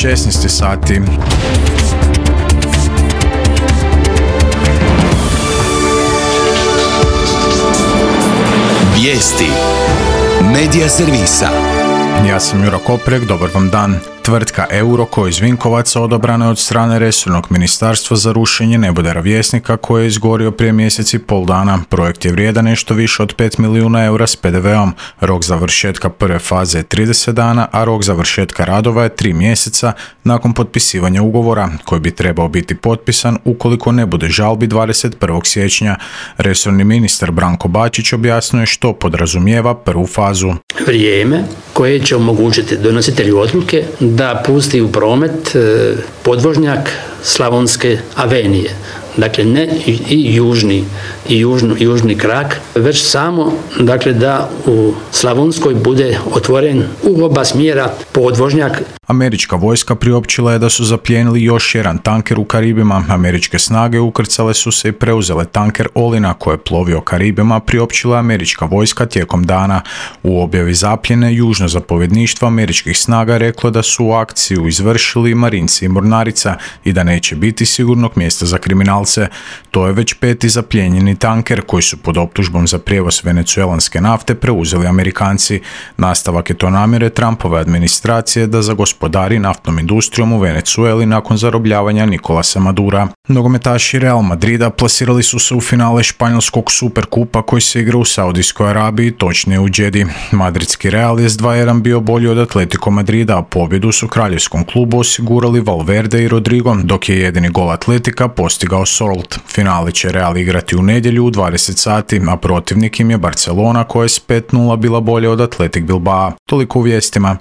16 sati. Vijesti Medija servisa. Ja sam Juro Koprek, dobar vam dan. Tvrtka Euroko iz Vinkovaca odabrana je od strane resornog ministarstva za rušenje nebodera Vjesnika koji je izgorio prije mjesec i pol dana. Projekt je vrijedan nešto više od 5 milijuna eura s PDV-om. Rok završetka prve faze je 30 dana, a rok završetka radova je 3 mjeseca nakon potpisivanja ugovora, koji bi trebao biti potpisan ukoliko ne bude žalbi 21. siječnja. Resorni ministar Branko Bačić objasnio je što podrazumijeva prvu fazu. Vrijeme koje će omogućiti donositelju odluke da pusti u promet podvožnjak Slavonske avenije. Dakle, ne i južni krak, već samo da u Slavonskoj bude otvoren u oba smjera podvožnjak. Američka vojska priopćila je da su zaplijenili još jedan tanker u Karibima. Američke snage ukrcale su se i preuzele tanker Olina koji je plovio Karibima, priopćila američka vojska tijekom dana. U objavi zapljene južno zapovjedništvo američkih snaga reklo da su akciju izvršili marinci i mornarica i da neće biti sigurnog mjesta za kriminalce. To je već 5. zaplijenjeni tanker koji su pod optužbom za prijevoz venecuelanske nafte preuzeli Amerikanci. Nastavak je to namjere Trumpove administracije da zagospodari naftnom industrijom u Venecueli nakon zarobljavanja Nicolasa Madura. Nogometaši Real Madrida plasirali su se u finale španjolskog Superkupa koji se igra u Saudijskoj Arabiji, točnije u Džedi. Madridski Real je s 2:1 bio bolji od Atletico Madrida, a pobjedu su kraljevskom klubu osigurali Valverde i Rodrigo, dok je jedini gol Atletika postigao Salt. Finale će Real igrati u nedjelju u 20 sati, a protivnik im je Barcelona koja je s 5:0 bila bolja od Athletic Bilbao. Toliko u vijestima.